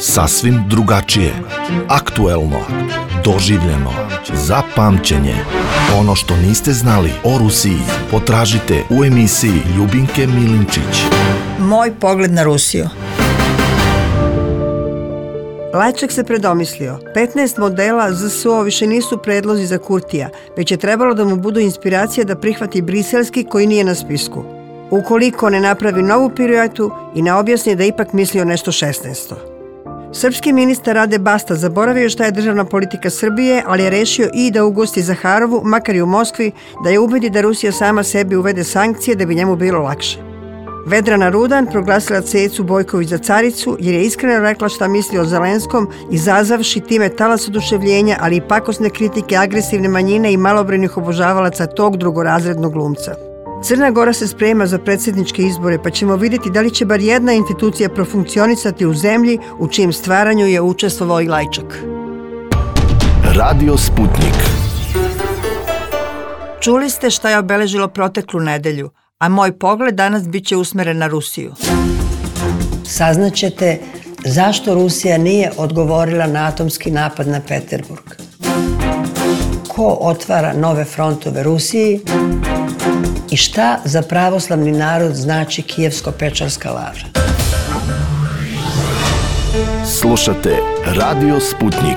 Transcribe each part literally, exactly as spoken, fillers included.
Sasvim drugačije, aktuelno, doživljeno, za pamćenje. Ono što niste znali o Rusiji potražite u emisiji Ljubinke Milinčić. Moj pogled na Rusiju. Lajčak se predomislio. petnaest modela Z S O više nisu predlozi za Kurtija, već je trebalo da mu budu inspiracija da prihvati briselski koji nije na spisku. Ukoliko ne napravi novu piruetu i ne objasni da ipak misli o nešto šesnaesto. Srpski ministar Rade Basta zaboravio šta je državna politika Srbije, ali je rešio i da ugosti Zaharovu, makar i u Moskvi, da je ubedi da Rusija sama sebi uvede sankcije da bi njemu bilo lakše. Vedrana Rudan proglasila Cecu Bojković za caricu jer je iskreno rekla šta misli o Zelenskom, izazavši time talas oduševljenja, ali i pakosne kritike agresivne manjine i malobrojnih obožavalaca tog drugorazrednog glumca. Crna Gora se sprema za predsjedničke izbore, pa ćemo vidjeti da li će bar jedna institucija profunkcionisati u zemlji u čijem stvaranju je učestvovao i Lajčak. Radio Sputnik. Čuli ste šta je obeležilo proteklu nedelju, a moj pogled danas bit će usmeren na Rusiju. Saznaćete zašto Rusija nije odgovorila na atomski napad na Peterburg. Ko otvara nove frontove Rusiji i šta za pravoslavni narod znači Kijevsko-Pečarska lavra. Slušate Radio Sputnik.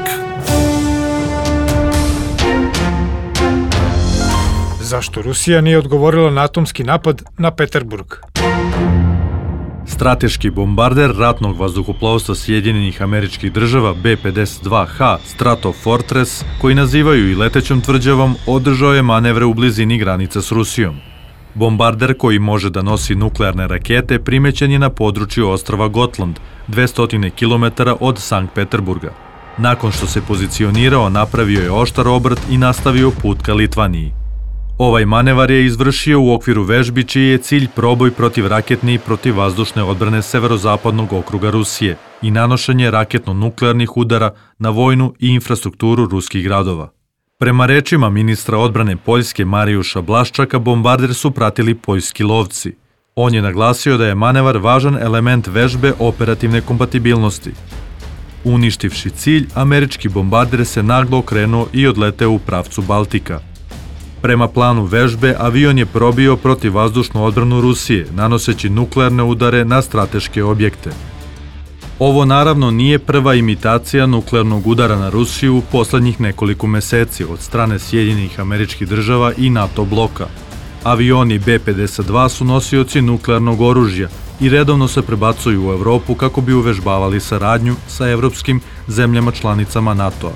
Zašto Rusija nije odgovorila na atomski napad na Peterburg? Strateški bombarder ratnog vazduhoplovstva Sjedinjenih Američkih Država B pedeset dva H Stratofortress, koji nazivaju i letećom tvrđavom, održao je manevre u blizini granice s Rusijom. Bombarder, koji može da nosi nuklearne rakete, primećen je na području ostrva Gotland, dvesta kilometara od Sankt Peterburga. Nakon što se pozicionirao, napravio je oštar obrt i nastavio put ka Litvaniji. Ovaj manevar je izvršio u okviru vežbi čiji je cilj proboj protivraketne i protivvazdušne odbrane severozapadnog okruga Rusije i nanošenje raketno-nuklearnih udara na vojnu i infrastrukturu ruskih gradova. Prema rečima ministra odbrane Poljske Marijuša Blaščaka, bombarder su pratili poljski lovci. On je naglasio da je manevar važan element vežbe operativne kompatibilnosti. Uništivši cilj, američki bombarder se naglo okrenuo i odleteo u pravcu Baltika. Prema planu vežbe, avion je probio protivvazdušnu odbranu Rusije, nanoseći nuklearne udare na strateške objekte. Ovo naravno nije prva imitacija nuklearnog udara na Rusiju u poslednjih nekoliko meseci od strane Sjedinjenih Američkih Država i NATO bloka. Avioni B pedeset dva su nosioci nuklearnog oružja i redovno se prebacuju u Evropu kako bi uvežbavali saradnju sa evropskim zemljama članicama NATO-a.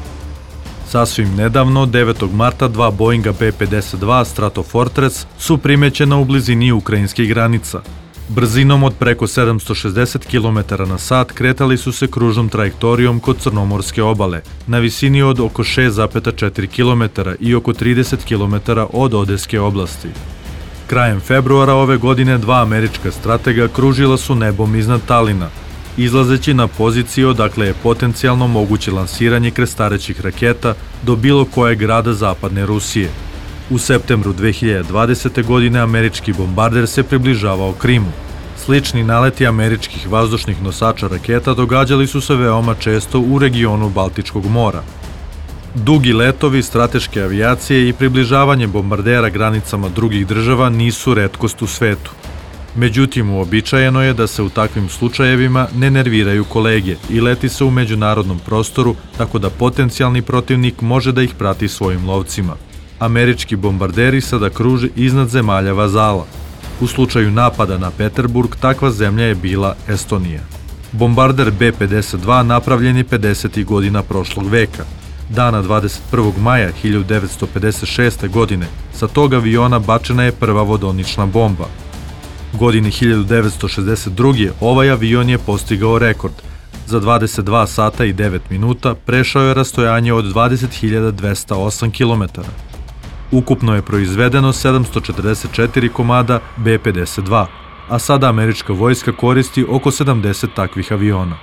Sasvim nedavno, devetog marta, dva Boeinga B pedeset dva Stratofortress su primećena u blizini ukrajinskih granica. Brzinom od preko sedamsto šezdeset kilometara na sat kretali su se kružnom trajektorijom kod Crnomorske obale, na visini od oko šest zarez četiri kilometara i oko trideset kilometara od Odeske oblasti. Krajem februara ove godine dva američka stratega kružila su nebom iznad Talina, izlazeći na poziciju odakle je potencijalno moguće lansiranje krstarećih raketa do bilo kojeg grada zapadne Rusije. U septembru dve hiljade dvadesete. godine američki bombarder se približavao Krimu. Slični naleti američkih vazdušnih nosača raketa događali su se veoma često u regionu Baltičkog mora. Dugi letovi strateške avijacije i približavanje bombardera granicama drugih država nisu retkost u svetu. Međutim, uobičajeno je da se u takvim slučajevima ne nerviraju kolege i leti se u međunarodnom prostoru tako da potencijalni protivnik može da ih prati svojim lovcima. Američki bombarderi sada kruže iznad zemalja vazala. U slučaju napada na Peterburg, takva zemlja je bila Estonija. Bombarder B pedeset dva napravljen je pedesetih godina prošlog veka. Dana dvadeset prvog maja hiljadu devetsto pedeset šeste. godine sa tog aviona bačena je prva vodonična bomba. Godine hiljadu devetsto šezdeset druge. ovaj avion je postigao rekord. Za dvadeset dva sata i devet minuta prešao je rastojanje od dvadeset hiljada dvesta osam kilometara. Ukupno je proizvedeno sedamsto četrdeset četiri komada B pedeset dva, a sada američka vojska koristi oko sedamdeset takvih aviona.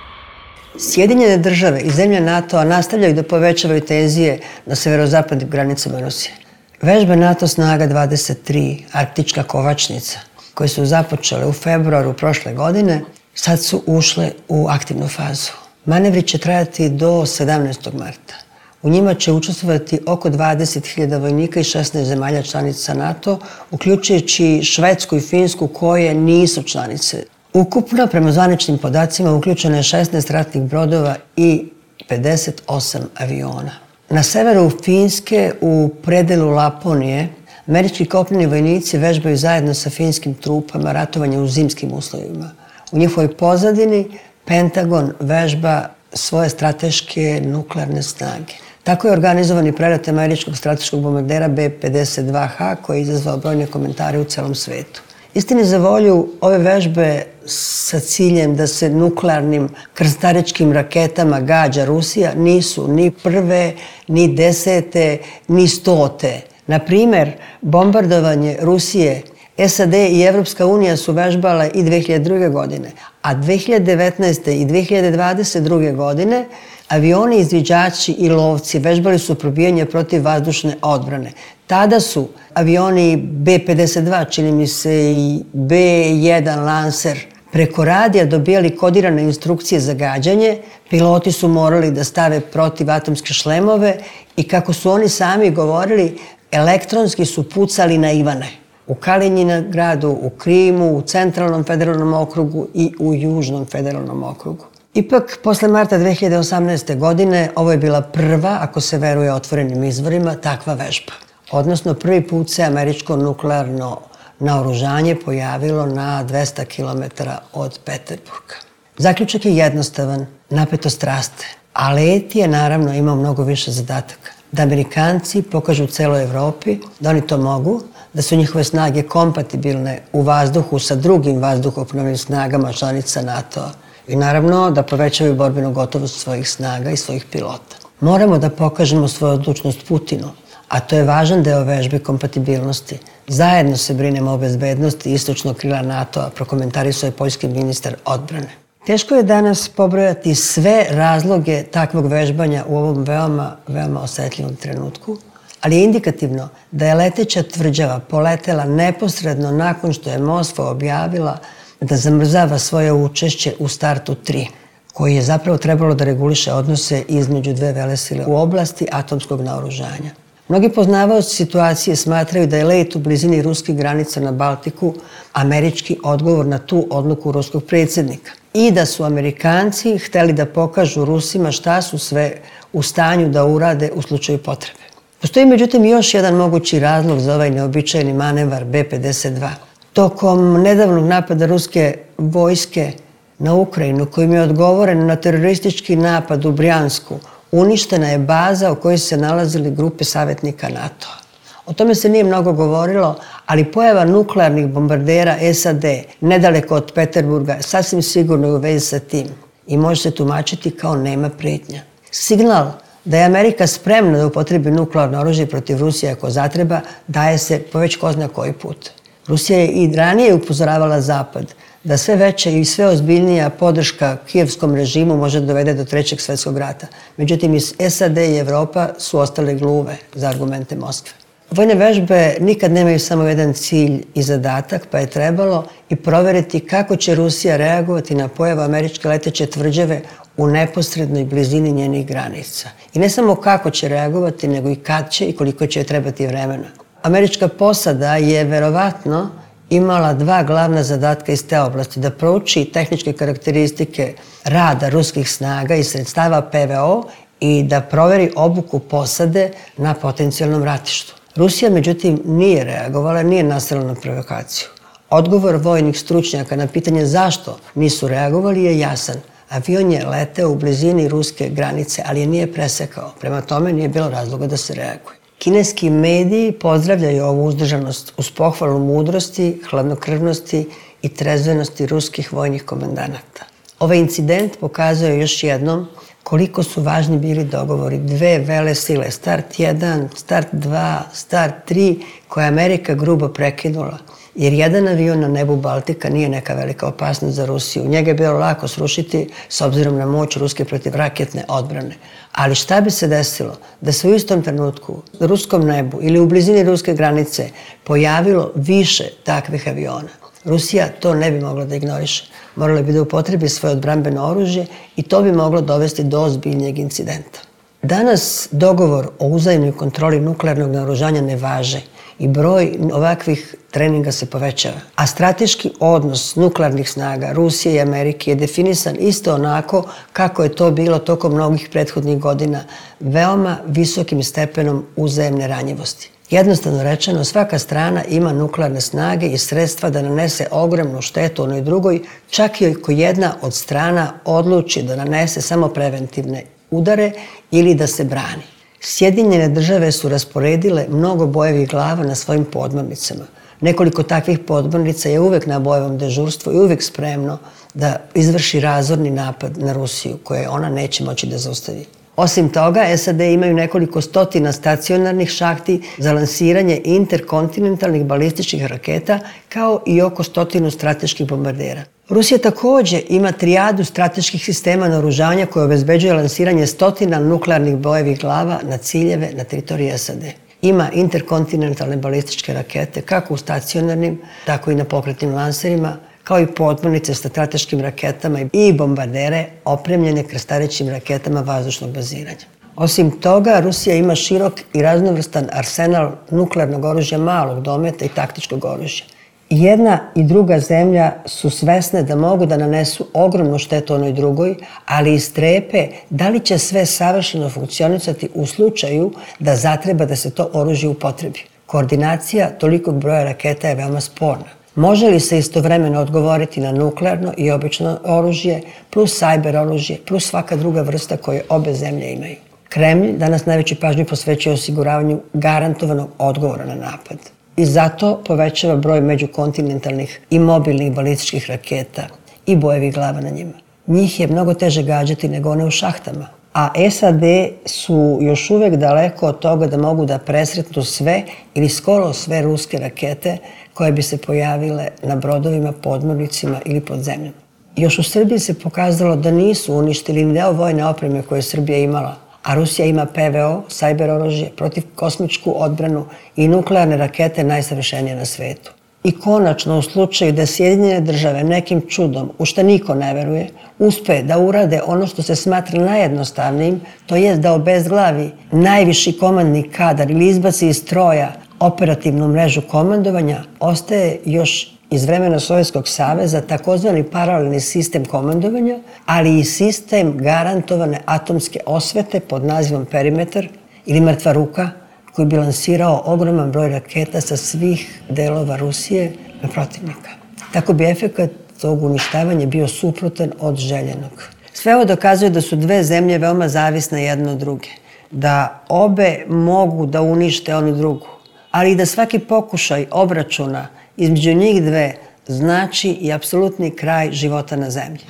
Sjedinjene države i zemlje NATO-a nastavljaju da povećavaju tenzije na severozapadnim granicama Rusije. Vežbe NATO snaga dvadeset tri, Arktička kovačnica, koje su započele u februaru prošle godine, sad su ušle u aktivnu fazu. Manevri će trajati do sedamnaestog marta. U njima će učestvovati oko dvadeset hiljada vojnika iz šesnaest zemalja članica NATO, uključujući Švedsku i Finsku koje nisu članice. Ukupno, prema zvaničnim podacima, uključeno je šesnaest ratnih brodova i pedeset osam aviona. Na severu Finske, u predelu Laponije, američki kopneni vojnici vežbaju zajedno sa finskim trupama ratovanje u zimskim uslovima. U njihovoj pozadini Pentagon vežba svoje strateške nuklearne snage. Tako je organizovan i prelet američkog strateškog bombardera B pedeset dva H koji je izazvao brojne komentare u celom svetu. Istini za volju, ove vežbe sa ciljem da se nuklearnim krstaričkim raketama gađa Rusija nisu ni prve, ni desete, ni stote. Na primer, bombardovanje Rusije, S A D i Evropska unija su vežbale i dve hiljade druge. godine, a dve hiljade devetnaeste. i dve hiljade dvadeset druge. godine avioni, izviđači i lovci vežbali su probijanje protiv vazdušne odbrane. Tada su avioni B pedeset dva, čini mi se i B jedan Lancer, preko radija dobijali kodirane instrukcije za gađanje, piloti su morali da stave protivatomske šlemove i kako su oni sami govorili, elektronski su pucali na Ivane. U Kaliningradu, u Krimu, u Centralnom federalnom okrugu i u Južnom federalnom okrugu. Ipak, posle marta dve hiljade osamnaeste. godine, ovo je bila prva, ako se veruje otvorenim izvorima, takva vežba. Odnosno, prvi put se američko nuklearno naoružanje pojavilo na dvesta kilometara od Peterburga. Zaključak je jednostavan, napetost raste, a let je naravno imao mnogo više zadataka. Da Amerikanci pokažu celoj Evropi da oni to mogu, da su njihove snage kompatibilne u vazduhu sa drugim vazduhoplovnim snagama članica NATO-a i naravno da povećaju borbenu gotovost svojih snaga i svojih pilota. Moramo da pokažemo svoju odlučnost Putinu, a to je važan deo vežbe kompatibilnosti. Zajedno se brinemo o bezbednosti istočnog krila NATO-a, prokomentarisao je poljski ministar odbrane. Teško je danas pobrojati sve razloge takvog vežbanja u ovom veoma, veoma osetljivom trenutku, ali je indikativno da je leteća tvrđava poletela neposredno nakon što je Moskva objavila da zamrzava svoje učešće u startu tri, koji je zapravo trebalo da reguliše odnose između dve velesile u oblasti atomskog naoružanja. Mnogi poznavaoci situacije smatraju da je let u blizini ruskih granica na Baltiku američki odgovor na tu odluku ruskog predsjednika i da su Amerikanci hteli da pokažu Rusima šta su sve u stanju da urade u slučaju potrebe. Postoji međutim još jedan mogući razlog za ovaj neobičajni manevar B pedeset dva. Tokom nedavnog napada ruske vojske na Ukrajinu, kojim je odgovoreno na teroristički napad u Brjansku, uništena je baza u kojoj se nalazili grupe savjetnika NATO-a. O tome se nije mnogo govorilo, ali pojava nuklearnih bombardera S A D nedaleko od Peterburga sasvim sigurno je u vezi sa tim i može se tumačiti kao nema pretnja. Signal da je Amerika spremna da upotrebi nuklearno oružje protiv Rusije ako zatreba daje se po već ko zna koji put. Rusija je i ranije upozoravala Zapad da sve veća i sve ozbiljnija podrška kijevskom režimu može dovede do trećeg svjetskog rata. Međutim, i S A D i Evropa su ostale gluve za argumente Moskve. Vojne vežbe nikad nemaju samo jedan cilj i zadatak, pa je trebalo i proveriti kako će Rusija reagovati na pojavu američke leteće tvrđave u neposrednoj blizini njenih granica. I ne samo kako će reagovati, nego i kad će i koliko će trebati vremena. Američka posada je verovatno imala dva glavna zadatka iz te oblasti, da prouči tehničke karakteristike rada ruskih snaga i sredstava P V O i da proveri obuku posade na potencijalnom ratištu. Rusija, međutim, nije reagovala, nije nastavila na provokaciju. Odgovor vojnih stručnjaka na pitanje zašto nisu reagovali je jasan. Avion je leteo u blizini ruske granice, ali je nije presekao. Prema tome nije bilo razloga da se reaguje. Kineski mediji pozdravljaju ovu uzdržanost uz pohvalu mudrosti, hladnokrvnosti i trezvenosti ruskih vojnih komandanata. Ovaj incident pokazuje još jednom koliko su važni bili dogovori dve vele sile, Start jedan, Start dva, Start tri, koje je Amerika grubo prekinula, jer jedan avion na nebu Baltika nije neka velika opasnost za Rusiju. Njega je bilo lako srušiti s obzirom na moć ruske protivraketne odbrane. Ali šta bi se desilo da se u istom trenutku na ruskom nebu ili u blizini ruske granice pojavilo više takvih aviona? Rusija to ne bi mogla da ignoriše. Morala bi da upotrebi svoje odbrambeno oružje i to bi moglo dovesti do ozbiljnijeg incidenta. Danas dogovor o uzajamnoj kontroli nuklearnog naoružanja ne važe i broj ovakvih treninga se povećava. A strateški odnos nuklearnih snaga Rusije i Amerike je definisan isto onako kako je to bilo tokom mnogih prethodnih godina, veoma visokim stepenom uzajamne ranjivosti. Jednostavno rečeno, svaka strana ima nuklearne snage i sredstva da nanese ogromnu štetu onoj drugoj, čak i ako jedna od strana odluči da nanese samo preventivne udare ili da se brani. Sjedinjene države su rasporedile mnogo bojevih glava na svojim podmornicama. Nekoliko takvih podmornica je uvek na bojevom dežurstvu i uvek spremno da izvrši razorni napad na Rusiju, koje ona neće moći da zaustavi. Osim toga, S A D imaju nekoliko stotina stacionarnih šahti za lansiranje interkontinentalnih balističkih raketa, kao i oko stotinu strateških bombardera. Rusija takođe ima trijadu strateških sistema naoružanja koje obezbeđuje lansiranje stotina nuklearnih bojevih glava na ciljeve na teritoriji S A D. Ima interkontinentalne balističke rakete kako u stacionarnim, tako i na pokretnim lanserima, kao i podmornice sa strateškim raketama i bombardere opremljene krstarećim raketama vazdušnog baziranja. Osim toga, Rusija ima širok i raznovrstan arsenal nuklearnog oružja malog dometa i taktičkog oružja. Jedna i druga zemlja su svesne da mogu da nanesu ogromnu štetu onoj drugoj, ali i strepe da li će sve savršeno funkcionisati u slučaju da zatreba da se to oružje upotrebi. Koordinacija tolikog broja raketa je veoma sporna. Može li se istovremeno odgovoriti na nuklearno i obično oružje, plus sajber oružje, plus svaka druga vrsta koje obe zemlje imaju? Kremlj danas najveću pažnju posvećuje osiguravanju garantovanog odgovora na napad. I zato povećava broj međukontinentalnih i mobilnih balističkih raketa i bojevih glava na njima. Njih je mnogo teže gađati nego one u šahtama. A S A D su još uvek daleko od toga da mogu da presretnu sve ili skoro sve ruske rakete koje bi se pojavile na brodovima, podmornicima ili pod zemljom. Još u Srbiji se pokazalo da nisu uništili ni deo vojne opreme koje je Srbija imala, a Rusija ima P V O, sajber oružje, protivkosmičku odbranu i nuklearne rakete najsavršenije na svetu. I konačno, u slučaju da Sjedinjene države nekim čudom, u šta niko ne veruje, uspe da urade ono što se smatra najjednostavnijim, to jest da obezglavi najviši komandni kadar ili izbaci iz stroja operativnu mrežu komandovanja, ostaje još iz vremena Sovjetskog saveza takozvani paralelni sistem komandovanja, ali i sistem garantovane atomske osvete pod nazivom perimetar ili mrtva ruka, koji bi lansirao ogroman broj raketa sa svih delova Rusije na protivnika. Tako bi efekat tog uništavanja bio suprotan od željenog. Sve ovo dokazuje da su dve zemlje veoma zavisne jedna od druge, da obe mogu da unište onu drugu, ali i da svaki pokušaj obračuna između njih dve znači i apsolutni kraj života na zemlji.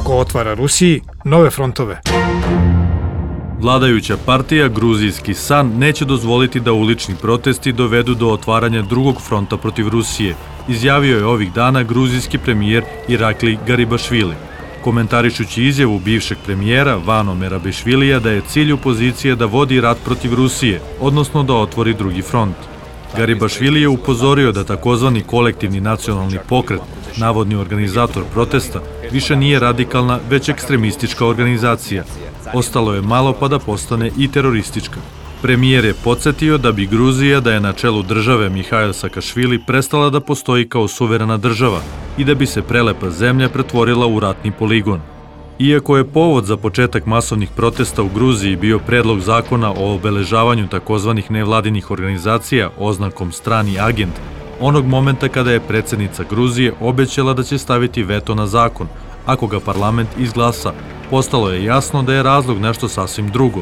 Ko otvara Rusiji nove frontove. Vladajuća partija Gruzijski san neće dozvoliti da ulični protesti dovedu do otvaranja drugog fronta protiv Rusije, izjavio je ovih dana gruzijski premijer Irakli Garibašvili, komentarišući izjavu bivšeg premijera Vano Merabišvilija da je cilj opozicije da vodi rat protiv Rusije, odnosno da otvori drugi front. Garibašvili je upozorio da takozvani kolektivni nacionalni pokret, navodni organizator protesta, više nije radikalna, već ekstremistička organizacija. Ostalo je malo pa da postane i teroristička. Premijer je podsjetio da bi Gruzija, da je na čelu države Mihail Sakašvili, prestala da postoji kao suverena država i da bi se prelepa zemlja pretvorila u ratni poligon. Iako je povod za početak masovnih protesta u Gruziji bio predlog zakona o obeležavanju takozvanih nevladinih organizacija oznakom strani agent, onog momenta kada je predsjednica Gruzije obećala da će staviti veto na zakon, ako ga parlament izglasa, postalo je jasno da je razlog nešto sasvim drugo.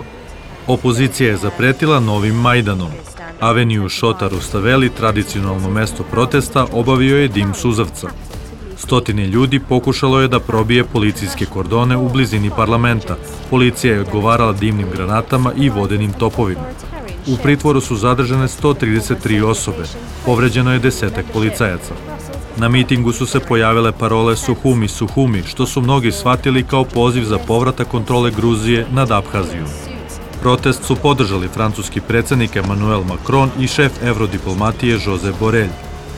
Opozicija je zapretila novim Majdanom. Aveniju Šota Rustaveli, tradicionalno mesto protesta, obavio je dim suzavca. Stotine ljudi pokušalo je da probije policijske kordone u blizini parlamenta. Policija je odgovarala dimnim granatama i vodenim topovima. U pritvoru su zadržane sto trideset tri osobe. Povređeno je desetak policajaca. Na mitingu su se pojavile parole Suhumi, Suhumi, što su mnogi shvatili kao poziv za povratak kontrole Gruzije nad Abhazijom. Protest su podržali francuski predsjednik Emmanuel Macron i šef evrodiplomatije Josep Borrell.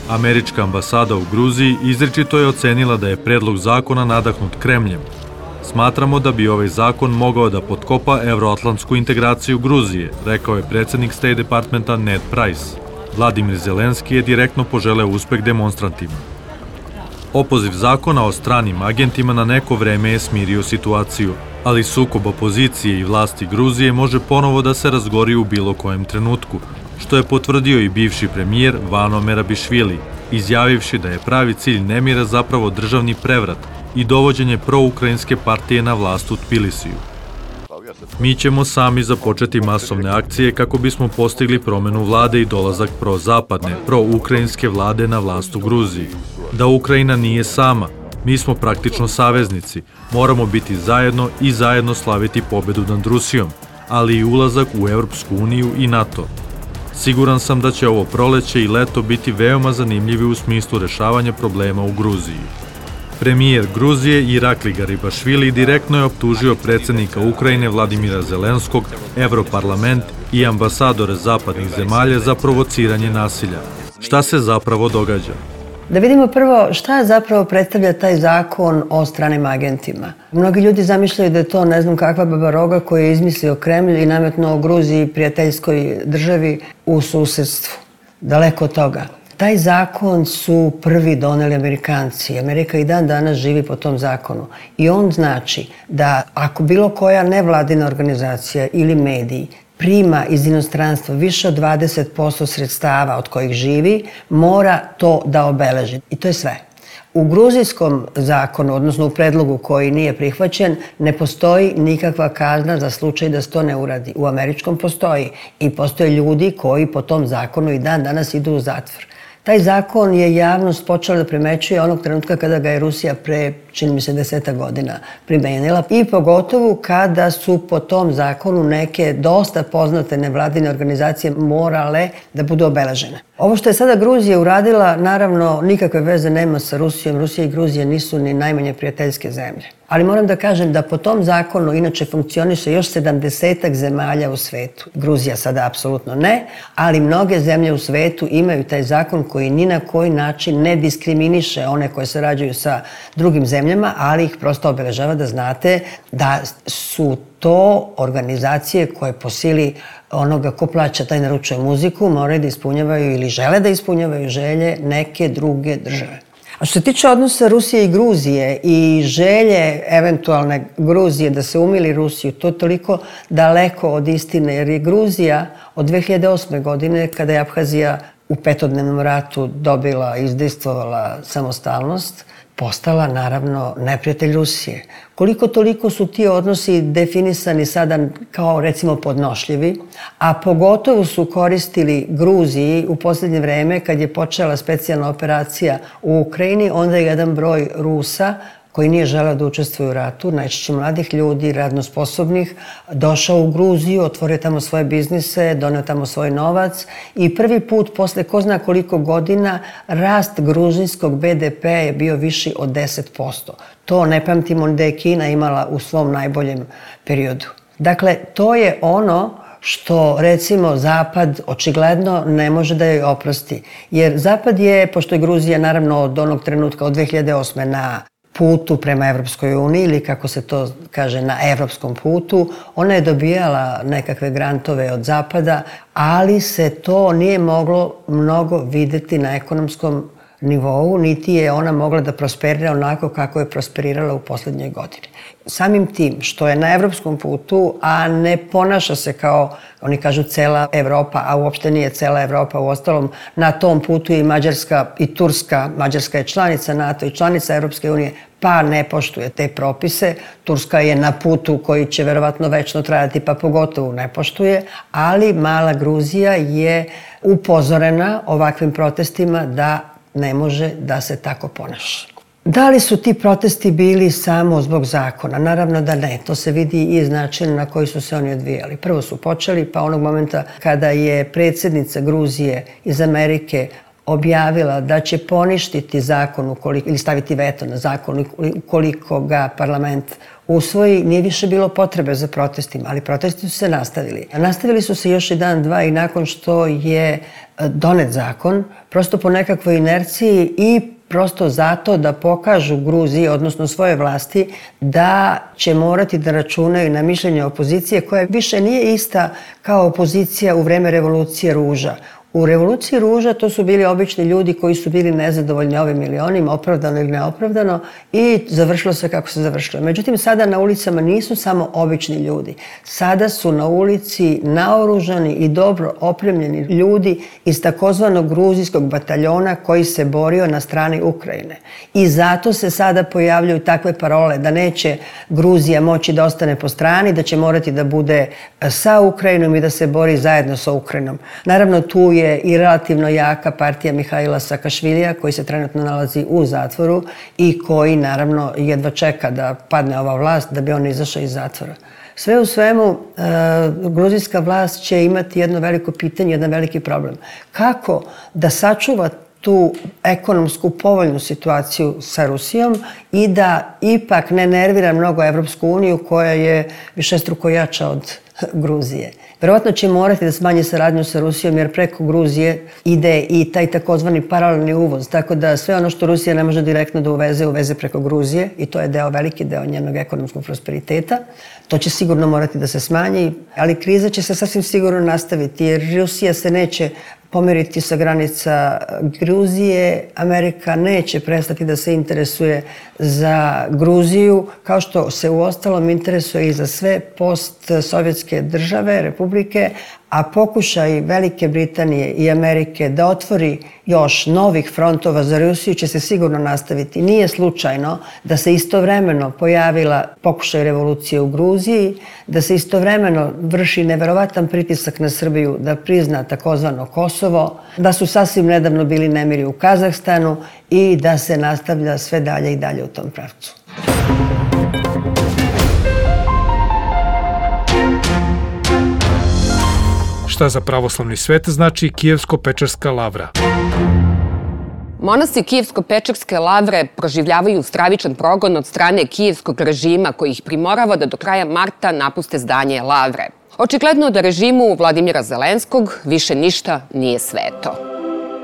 Američka ambasada u Gruziji izričito je ocenila da je predlog zakona nadahnut Kremljem. Smatramo da bi ovaj zakon mogao da potkopa evroatlantsku integraciju Gruzije, rekao je predsjednik State Departmenta Ned Price. Vladimir Zelenski je direktno poželeo uspeh demonstrantima. Opoziv zakona o stranim agentima na neko vreme je smirio situaciju, ali sukob opozicije i vlasti Gruzije može ponovo da se razgori u bilo kojem trenutku, što je potvrdio i bivši premijer Vano Merabišvili, izjavivši da je pravi cilj nemira zapravo državni prevrat i dovođenje proukrajinske partije na vlast u Tbilisiju. Mi ćemo sami započeti masovne akcije kako bismo postigli promenu vlade i dolazak prozapadne, proukrajinske vlade na vlast u Gruziji. Da Ukrajina nije sama, mi smo praktično saveznici, moramo biti zajedno i zajedno slaviti pobedu nad Rusijom, ali i ulazak u Europsku uniju i NATO. Siguran sam da će ovo proleće i leto biti veoma zanimljivi u smislu rešavanja problema u Gruziji. Premijer Gruzije Irakli Garibašvili direktno je optužio predsjednika Ukrajine Vladimira Zelenskog, Evroparlament i ambasadore zapadnih zemalja za provociranje nasilja. Šta se zapravo događa? Da vidimo prvo šta zapravo predstavlja taj zakon o stranim agentima. Mnogi ljudi zamišljaju da je to ne znam kakva babaroga koju je izmislio Kremlj i nametnuo Gruziji, prijateljskoj državi u susjedstvu. Daleko od toga. Taj zakon su prvi doneli Amerikanci. Amerika i dan danas živi po tom zakonu. I on znači da ako bilo koja nevladina organizacija ili mediji prima iz inostranstva više od dvadeset posto sredstava od kojih živi, mora to da obeleži. I to je sve. U gruzijskom zakonu, odnosno u predlogu koji nije prihvaćen, ne postoji nikakva kazna za slučaj da se to ne uradi. U američkom postoji i postoje ljudi koji po tom zakonu i dan danas idu u zatvor. Taj zakon je javnost počela da primećuje onog trenutka kada ga je Rusija pre, čini mi se, deseta godina primenila i pogotovo kada su po tom zakonu neke dosta poznate nevladine organizacije morale da budu obeležene. Ovo što je sada Gruzija uradila, naravno, nikakve veze nema sa Rusijom. Rusija i Gruzija nisu ni najmanje prijateljske zemlje. Ali moram da kažem da po tom zakonu inače funkcioniše još sedamdesetak zemalja u svetu. Gruzija sada apsolutno ne, ali mnoge zemlje u svetu imaju taj zakon koji ni na koji način ne diskriminiše one koje sarađuju sa drugim zemljama, ali ih prosto obeležava da znate da su to organizacije koje po sili onoga ko plaća taj naručuje muziku moraju da ispunjavaju ili žele da ispunjavaju želje neke druge države. A što se tiče odnosa Rusije i Gruzije i želje eventualne Gruzije da se umili Rusiju, to je toliko daleko od istine, jer je Gruzija od dve hiljade osme. godine, kada je Abhazija u petodnevnom ratu dobila i izdejstvovala samostalnost, postala naravno neprijatelj Rusije. Koliko toliko su ti odnosi definisani sada kao recimo podnošljivi, a pogotovo su koristili Gruziji u posljednje vreme kad je počela specijalna operacija u Ukrajini, onda je jedan broj Rusa koji nije želeo da učestvuje u ratu, najčešće mladih ljudi, radno sposobnih, došao u Gruziju, otvorio tamo svoje biznise, doneo tamo svoj novac i prvi put posle ko zna koliko godina rast gruzijskog be de pe je bio viši od deset posto. To ne pamtimo da je Kina imala u svom najboljem periodu. Dakle, to je ono što, recimo, Zapad očigledno ne može da joj oprosti. Jer Zapad je, pošto je Gruzija naravno od onog trenutka od dve hiljade osme. na putu prema Evropskoj uniji ili kako se to kaže na evropskom putu, ona je dobijala nekakve grantove od Zapada, ali se to nije moglo mnogo videti na ekonomskom nivou, niti je ona mogla da prosperira onako kako je prosperirala u posljednjoj godini. Samim tim što je na evropskom putu, a ne ponaša se kao, oni kažu, cela Evropa, a uopšte nije cela Evropa, uostalom na tom putu i Mađarska i Turska, Mađarska je članica NATO i članica Evropske unije, pa ne poštuje te propise. Turska je na putu koji će verovatno večno trajati, pa pogotovo ne poštuje, ali mala Gruzija je upozorena ovakvim protestima da ne može da se tako ponaša. Da li su ti protesti bili samo zbog zakona? Naravno da ne. To se vidi i iz načina na koji su se oni odvijali. Prvo su počeli, pa onog momenta kada je predsjednica Gruzije iz Amerike objavila da će poništiti zakon ukoliko, ili staviti veto na zakon ukoliko ga parlament usvoji, nije više bilo potrebe za protestima, ali protesti su se nastavili. Nastavili su se još i dan, dva i nakon što je donet zakon, prosto po nekakvoj inerciji i prosto zato da pokažu Gruziji, odnosno svoje vlasti, da će morati da računaju na mišljenje opozicije koja više nije ista kao opozicija u vreme revolucije ruža. U revoluciji ruža to su bili obični ljudi koji su bili nezadovoljni ovim ili onim, opravdano ili neopravdano, i završilo se kako se završilo. Međutim, sada na ulicama nisu samo obični ljudi. Sada su na ulici naoružani i dobro opremljeni ljudi iz takozvanog gruzijskog bataljona koji se borio na strani Ukrajine. I zato se sada pojavljaju takve parole da neće Gruzija moći da ostane po strani, da će morati da bude sa Ukrajinom i da se bori zajedno sa Ukrajinom. Naravno, tu je i relativno jaka partija Mihaila Saakašvilija koji se trenutno nalazi u zatvoru i koji naravno jedva čeka da padne ova vlast da bi on izašao iz zatvora. Sve u svemu, gruzijska vlast će imati jedno veliko pitanje, jedan veliki problem. Kako da sačuva tu ekonomsku povoljnu situaciju sa Rusijom i da ipak ne nervira mnogo Evropsku uniju koja je višestruko jača od Gruzije. Verovatno će morati da smanje saradnju sa Rusijom jer preko Gruzije ide i taj takozvani paralelni uvoz, tako da sve ono što Rusija ne može direktno da uveze, uveze preko Gruzije i to je deo, veliki deo njenog ekonomskog prosperiteta. To će sigurno morati da se smanji, ali kriza će se sasvim sigurno nastaviti jer Rusija se neće pomeriti sa granica Gruzije, Amerika neće prestati da se interesuje za Gruziju, kao što se uostalom interesuje i za sve postsovjetske države, republike, a pokušaj Velike Britanije i Amerike da otvori još novih frontova za Rusiju će se sigurno nastaviti. Nije slučajno da se istovremeno pojavila pokušaj revolucije u Gruziji, da se istovremeno vrši neverovatan pritisak na Srbiju da prizna takozvano Kosovo, da su sasvim nedavno bili nemiri u Kazahstanu i da se nastavlja sve dalje i dalje u tom pravcu. Šta za pravoslavni svet znači Kijevsko-Pečerska lavra? Monasi Kijevsko-Pečerske lavre proživljavaju stravičan progon od strane kijevskog režima koji ih primorava da do kraja marta napuste zdanje lavre. Očigledno da režimu Vladimira Zelenskog više ništa nije sveto.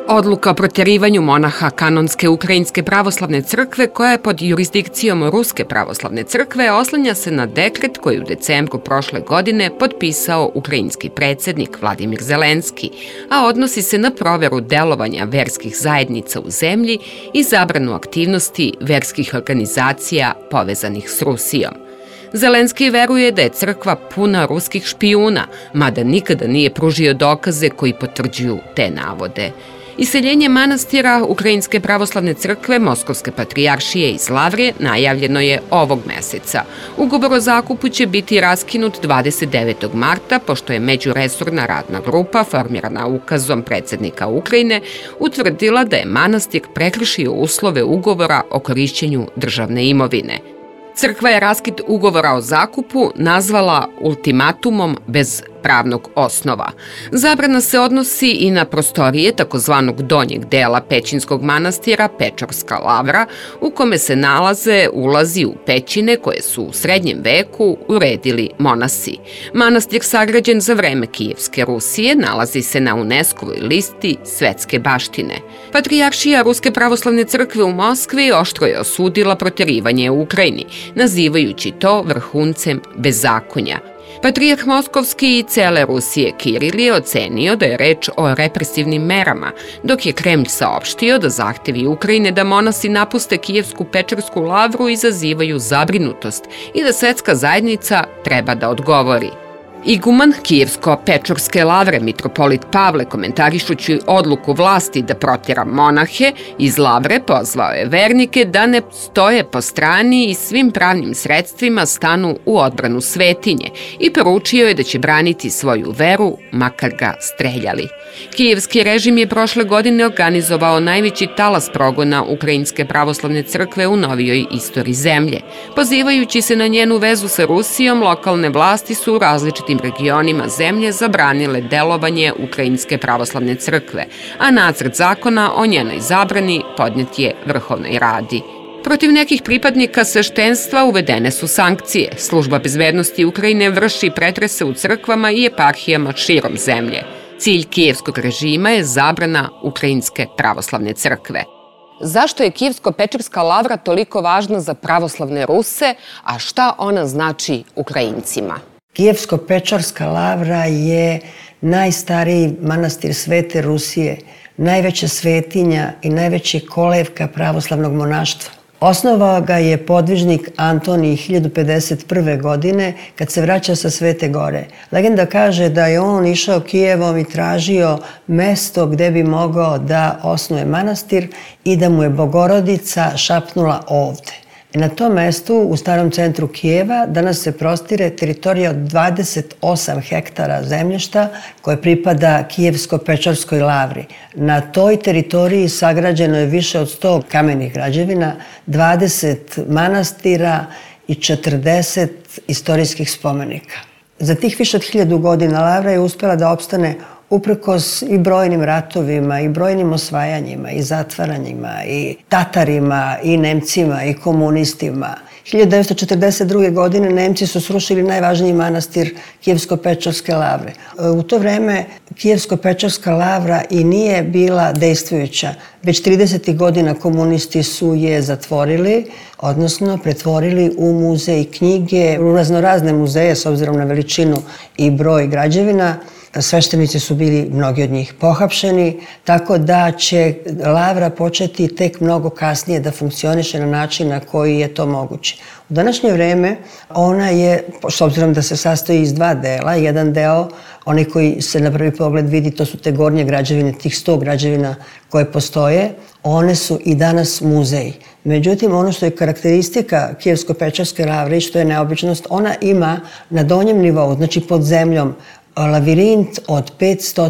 Odluka o protjerivanju monaha Kanonske ukrajinske pravoslavne crkve, koja je pod jurisdikcijom Ruske pravoslavne crkve, oslanja se na dekret koji u decembru prošle godine potpisao ukrajinski predsjednik Vladimir Zelenski, a odnosi se na proveru delovanja verskih zajednica u zemlji i zabranu aktivnosti verskih organizacija povezanih s Rusijom. Zelenski veruje da je crkva puna ruskih špijuna, mada nikada nije pružio dokaze koji potvrđuju te navode. Iseljenje manastira Ukrajinske pravoslavne crkve Moskovske patrijaršije iz Lavre najavljeno je ovog meseca. Ugovor o zakupu će biti raskinut dvadeset devetog marta, pošto je međuresorna radna grupa, formirana ukazom predsjednika Ukrajine, utvrdila da je manastir prekršio uslove ugovora o korišćenju državne imovine. Crkva je raskid ugovora o zakupu nazvala ultimatumom bez pravnog osnova. Zabrana se odnosi i na prostorije takozvanog donjeg dela Pećinskog manastira Pečorska lavra, u kome se nalaze ulazi u pećine koje su u srednjem veku uredili monasi. Manastir sagrađen za vreme Kijevske Rusije nalazi se na UNESCO-voj listi svetske baštine. Patrijaršija Ruske pravoslavne crkve u Moskvi oštro je osudila protjerivanje u Ukrajini, nazivajući to vrhuncem bezakonja. Patrijarh Moskovski i cele Rusije Kiril je ocenio da je reč o represivnim merama, dok je Kremlj saopštio da zahtevi Ukrajine da monasi napuste Kijevsku Pečersku lavru izazivaju zabrinutost i da svetska zajednica treba da odgovori. Iguman Kijevsko-Pečorske lavre, mitropolit Pavle, komentarišući odluku vlasti da protjera monahe iz lavre, pozvao je vernike da ne stoje po strani i svim pravnim sredstvima stanu u odbranu svetinje i poručio je da će braniti svoju veru, makar ga streljali. Kijevski režim je prošle godine organizovao najveći talas progona Ukrajinske pravoslavne crkve u novijoj istoriji zemlje. Pozivajući se na njenu vezu sa Rusijom, lokalne vlasti su u različitim nekim regionima zemlje zabranile delovanje Ukrajinske pravoslavne crkve, a nacrt zakona o njenoj zabrani podnet je Vrhovnoj Radi. Protiv nekih pripadnika sveštenstva uvedene su sankcije. Služba bezbednosti Ukrajine vrši pretrese u crkvama i eparhijama širom zemlje. Cilj kijevskog režima je zabrana Ukrajinske pravoslavne crkve. Zašto je Kijevsko-Pečerska lavra toliko važna za pravoslavne Ruse, a šta ona znači Ukrajincima? Kijevsko-Pečerska lavra je najstariji manastir Svete Rusije, najveća svetinja i najveća kolevka pravoslavnog monaštva. Osnovao ga je podvižnik Antonij hiljadu pedeset prve. godine kad se vraća sa Svete Gore. Legenda kaže da je on išao Kijevom i tražio mesto gde bi mogao da osnuje manastir i da mu je Bogorodica šapnula ovde. Na tom mestu, u starom centru Kijeva, danas se prostire teritorija od dvadeset osam hektara zemljišta koje pripada Kijevsko-Pečerskoj lavri. Na toj teritoriji sagrađeno je više od sto kamenih građevina, dvadeset manastira i četrdeset istorijskih spomenika. Za tih više od hiljadu godina lavra je uspela da opstane uprkos i brojnim ratovima, i brojnim osvajanjima, i zatvaranjima, i Tatarima, i Nemcima, i komunistima. hiljadu devetsto četrdeset druge. godine Nemci su srušili najvažniji manastir Kijevsko-Pečerske lavre. U to vreme Kijevsko-Pečerska lavra i nije bila dejstvujuća. Već tridesetih godina komunisti su je zatvorili, odnosno pretvorili u muzej knjige, u raznorazne muzeje s obzirom na veličinu i broj građevina. Sveštenici su bili, mnogi od njih, pohapšeni, tako da će lavra početi tek mnogo kasnije da funkcioniše na način na koji je to moguće. U današnje vreme ona je, s obzirom da se sastoji iz dva dela, jedan deo, onaj koji se na prvi pogled vidi, to su te gornje građevine, tih sto građevina koje postoje, one su i danas muzeji. Međutim, ono što je karakteristika Kijevsko-Pečerske lavre i što je neobičnost, ona ima na donjem nivou, znači pod zemljom, lavirint od petsto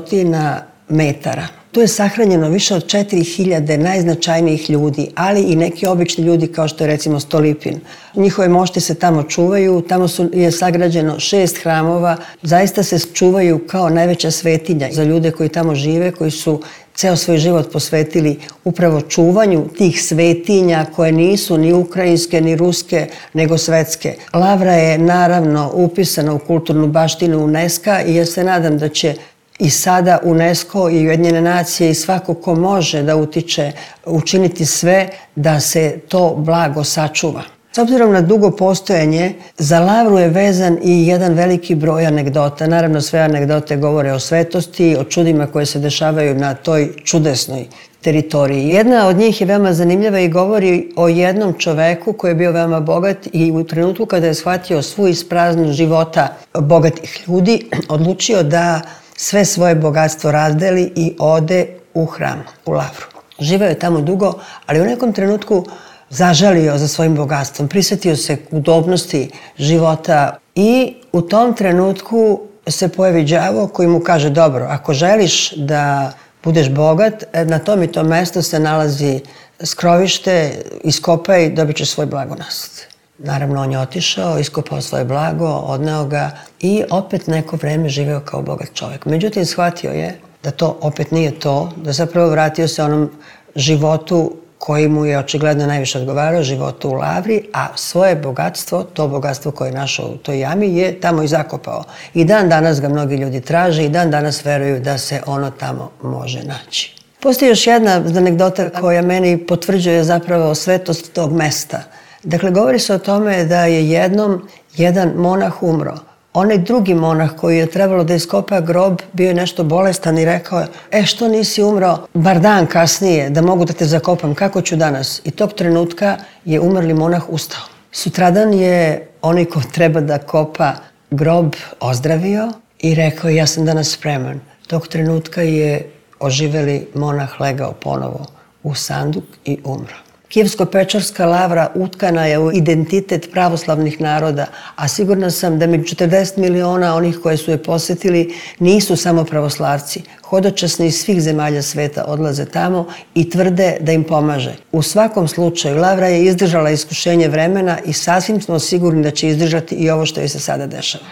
metara. Tu je sahranjeno više od četiri hiljade najznačajnijih ljudi, ali i neki obični ljudi kao što je recimo Stolipin. Njihove mošti se tamo čuvaju, tamo su, je sagrađeno šest hramova, zaista se čuvaju kao najveća svetinja za ljude koji tamo žive, koji su ceo svoj život posvetili upravo čuvanju tih svetinja koje nisu ni ukrajinske, ni ruske, nego svetske. Lavra je naravno upisana u kulturnu baštinu UNESCO i ja se nadam da će i sada UNESCO i Ujedinjene nacije i svako ko može da utiče učiniti sve da se to blago sačuva. S obzirom na dugo postojanje, za lavru je vezan i jedan veliki broj anegdota. Naravno, sve anegdote govore o svetosti, o čudima koje se dešavaju na toj čudesnoj teritoriji. Jedna od njih je veoma zanimljiva i govori o jednom čoveku koji je bio veoma bogat i u trenutku kada je shvatio svu ispraznost života bogatih ljudi, odlučio da sve svoje bogatstvo razdeli i ode u hram, u lavru. Živeo je tamo dugo, ali u nekom trenutku zažalio za svojim bogatstvom, prisjetio se udobnosti života i u tom trenutku se pojavi đavo koji mu kaže: dobro, ako želiš da budeš bogat, na tom i tom mestu se nalazi skrovište, iskopaj, dobit ćeš svoj blagonasled. Naravno, on je otišao, iskopao svoje blago, odneo ga i opet neko vreme živeo kao bogat čovjek. Međutim, shvatio je da to opet nije to, da zapravo vratio se onom životu koji mu je očigledno najviše odgovarao, životu u lavri, a svoje bogatstvo, to bogatstvo koje je našao u toj jami, je tamo i zakopao. I dan danas ga mnogi ljudi traže i dan danas veruju da se ono tamo može naći. Postoji još jedna anegdota koja meni potvrđuje zapravo svetost tog mesta. Dakle, govori se o tome da je jednom jedan monah umro. Onaj drugi monah koji je trebalo da iskopa grob bio je nešto bolestan i rekao je: e, što nisi umro bar dan kasnije da mogu da te zakopam, kako ću danas? I tog trenutka je umrli monah ustao. Sutradan je onaj ko treba da kopa grob ozdravio i rekao: ja sam danas spreman. Tog trenutka je oživeli monah legao ponovo u sanduk i umro. Kijevsko-Pečerska lavra utkana je u identitet pravoslavnih naroda, a sigurna sam da među četrdeset miliona onih koje su je posetili nisu samo pravoslavci. Hodočasni iz svih zemalja sveta odlaze tamo i tvrde da im pomaže. U svakom slučaju, lavra je izdržala iskušenje vremena i sasvim smo sigurni da će izdržati i ovo što joj se sada dešava.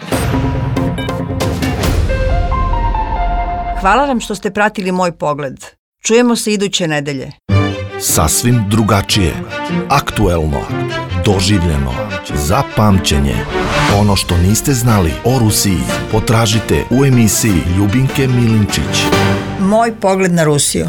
Hvala vam što ste pratili Moj pogled. Čujemo se iduće nedelje. Sasvim drugačije, aktuelno, doživljeno, za pamćenje. Ono što niste znali o Rusiji potražite u emisiji Ljubinke Milinčić. Moj pogled na Rusiju.